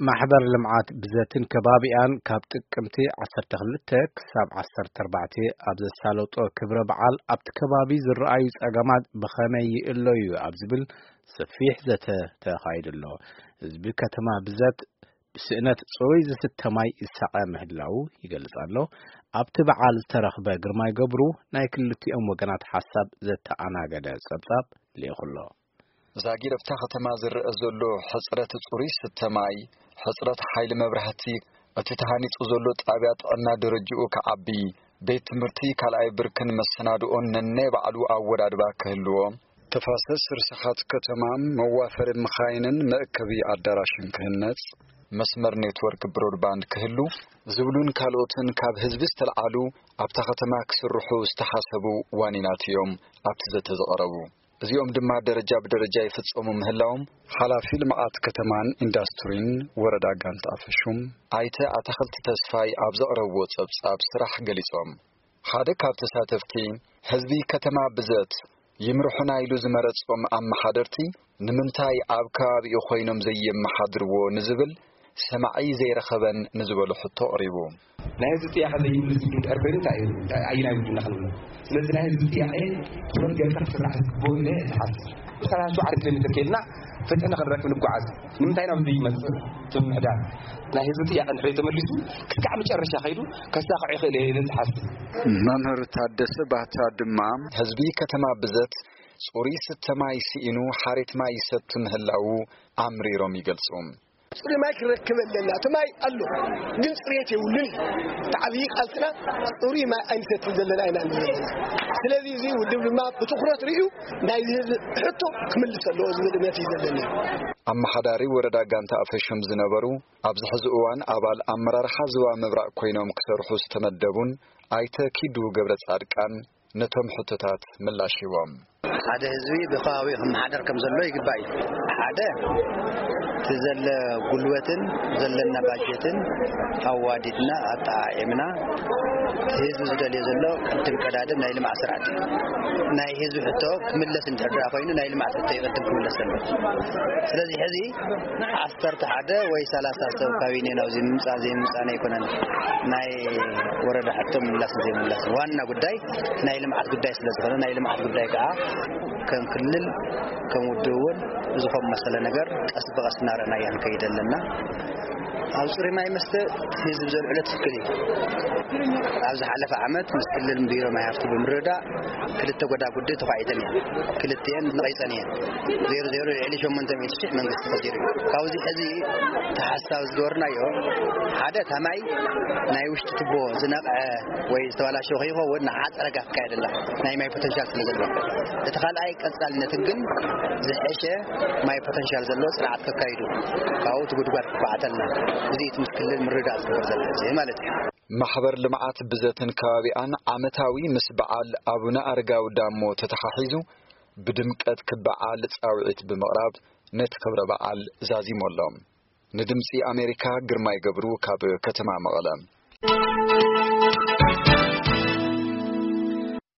ማሕበር ልምዓት ብዘትን ከባቢኣን ካብ ጥቅምቲ ዓሰርተ ክልተ ክሳብ ዓሰርተ ኣርባዕተ ኣብ ዘሳለጦ ክብረ በዓል፣ ኣብቲ ከባቢ ዝረኣዩ ጸገማት ብኸመይ ይእለዩ ኣብ ዝብል ሰፊሕ ዘተ ተኻይዱ ኣሎ። ህዝቢ ከተማ ብዘት ብስእነት ጽሩይ ዝስተ ማይ ይሳቐ ምህላዉ ይገልጽ ኣሎ። ኣብቲ በዓል ዝተረኽበ ግርማይ ገብሩ ናይ ክልቲኦም ወገናት ሓሳብ ዘተኣናገደ ጸብጻብ ልኢኹ ኣሎ። ዛጊድ ኣብታ ከተማ ዝረአ ዘሎ ሕጽረት ጽሩይ ስተ ማይ፣ ሕጽረት ሓይሊ መብራህቲ፣ እቲ ተሃኒጹ ዘሎ ጣብያ ጥዕና ደረጅኡ ክዓቢ፣ ቤት ትምህርቲ ካልኣይ ብርክን መሰናድኦን ነናይ ባዕሉ ኣወዳድባ ክህልዎ፣ ተፋሰስ ርስሓት ከተማ፣ መዋፈሪ መኻይንን መእከቢ ኣዳራሽን ክህነጽ፣ መስመር ኔትወርክ ብሮድባንድ ክህሉ ዝብሉን ካልኦትን ካብ ህዝቢ ዝተልዓሉ ኣብታ ከተማ ክስርሑ ዝተሓሰቡ ዋኒናት እዮም ኣብቲ ዘተ ዝቐረቡ። እዚኦም ድማ ደረጃ ብደረጃ ይፍጸሙ ምህላዎም ሓላፊ ልምዓት ከተማን ኢንዳስትሪን ወረዳ ጋንታ ኣፈሹም ኣይተ ኣታኽልቲ ተስፋይ ኣብ ዘቕረብዎ ጸብጻብ ስራሕ ገሊጾም። ሓደ ካብ ተሳተፍቲ፣ ህዝቢ ከተማ ብዘት ይምርሑና ኢሉ ዝመረጾም ኣመሓደርቲ ንምንታይ ኣብ ከባቢኡ ኮይኖም ዘየመሓድርዎ ንዝብል ሰማዒ ዘይረኸበን ንዝበሎ ሕቶ ኣቕሪቡ። ናይ ህዝቢ ጥያቐ ዘይምልስ እንድሕር ኮይኑ እንታይ እዩ? እንታይ ኣየናይ ውድና ክንብሎ? ስለዚ ናይ ህዝቢ ጥያቐ ትኹረት ጌርካ ክስራሕ ዝግብኦ ኢለ እየ ዝሓስብ። ሰላሳ ሸውዓተ ኪሎ ሜትር ከይድና ፍትሒ ንኽንረክብ ንጓዓዝ። ንምንታይ ናብ ዘይመጽእ ትምሕዳር? ናይ ህዝቢ ጥያቐ እንድሕር ተመሊሱ ክሳዕ መጨረሻ ከይዱ ከሳኽዖ ይኽእል እየ ኢለ ዝሓስብ። መምህር ታደሰ ባህታ ድማ ህዝቢ ከተማ ብዘት ጽሩይ ስተ ማይ ስኢኑ ሓሬት ማይ ይሰቲ ምህላዉ ኣምሪሮም ይገልጹ። ጽሩይ ማይ ክንረክብ ኣለና። እቲ ማይ ኣሎ፣ ግን ጽሬት የብሉን እዩ። እቲ ዓብዪ ቃልስና ጽሩይ ማይ ኣይንሰትን ዘለና ኢና ንብል ዘለና። ስለዚ እዚ ውድብ ድማ ብትኹረት ርእዩ ናይዚ ህዝቢ ሕቶ ክምልስ ኣለዎ ዝብል እምነት እዩ ዘለኒ። ኣመሓዳሪ ወረዳ ጋንታ ኣፈሹም ዝነበሩ፣ ኣብዚ ሕዚ እዋን ኣባል ኣመራርሓ ዞባ ምብራቕ ኮይኖም ክሰርሑ ዝተመደቡን ኣይተ ኪዱ ገብረ ጻድቃን ነቶም ሕቶታት ምላሽ ሂቦም። ሓደ ህዝቢ ብከባቢኡ ክመሓደር ከም ዘሎ ይግባእ እዩ። ሓደ፣ እቲ ዘለ ጉልበትን ዘለና ባጀትን ኣዋዲድና ኣጠዓዒምና እቲ ህዝቢ ዝደልዮ ዘሎ ቅድም ቀዳድም ናይ ልምዓት ስራሕቲ እዩ። ናይ ህዝቢ ሕቶ ክምለስ እንድሕር ደኣ ኮይኑ ናይ ልምዓት ሕቶ እዩ ቅድም ክምለስ ዘሎ። ስለዚ ሕዚ ዓሰርተ ሓደ ወይ ሰላሳ ሰብ ካቢኔ ናብዚ ምምጻእ ዘይምምጻእ ኣይኮነን ናይ ወረዳ ሕቶ ምላስ ዘይምላስ። ዋና ጉዳይ ናይ ልምዓት ጉዳይ ስለ ዝኾነ ናይ ልምዓት ጉዳይ ከዓ ከም ክልል ከም ውድብ እውን እዚ ከም መሰለ ነገር ቀስ ብቐስ እናረኣናያ ንከይድ ኣለና። ኣብ ጽሩይ ማይ መስተ ህዝቢ ዘልዕሎ ትክክል እዩ። ኣብ ዝሓለፈ ዓመት ምስ ክልል ቢሮ ማይ ሃፍቲ ብምርዳእ ክልተ ጎዳጉዲ ተዃዒተን እየን። ክልቲኤን ነቒጸን እየን። ዜሮ ዜሮ ልዕሊ ሸሞንተ ሚእቲ ሺሕ መንግስቲ ከሲሩ እዩ። ካብዚ ሕዚ ተሓሳብ ዝገበርናዮ ሓደ እታ ማይ ናይ ውሽጢ ቱቦ ዝነቕዐ ወይ ዝተበላሸወ ከይኸውን ንዓ ጸረጋ ክካየደላ ናይ ማይ ፖተንሻል ስለ ዘለዎ፣ እቲ ካልኣይ ቀጻልነትን ግን ዝሐሸ ማይ ፖተንሻል ዘለዎ ስርዓት ከካይዱ ካብኡ እቲ ጉድጓድ ክኳዓተልና እዚ እቲ ምስ ክልል ምርዳእ ዝግበር ዘሎ ሕዚ ማለት እዩ። ማሕበር ልምዓት ብዘትን ከባቢኣን ዓመታዊ ምስ በዓል ኣቡነ ኣረጋዊ ዳሞ ተተሓሒዙ ብድምቀት ክበዓል ጻውዒት ብምቕራብ ነቲ ክብረ በዓል ዛዚሙ ኣሎ። ንድምጺ ኣሜሪካ ግርማይ ገብሩ ካብ ከተማ መቐለ።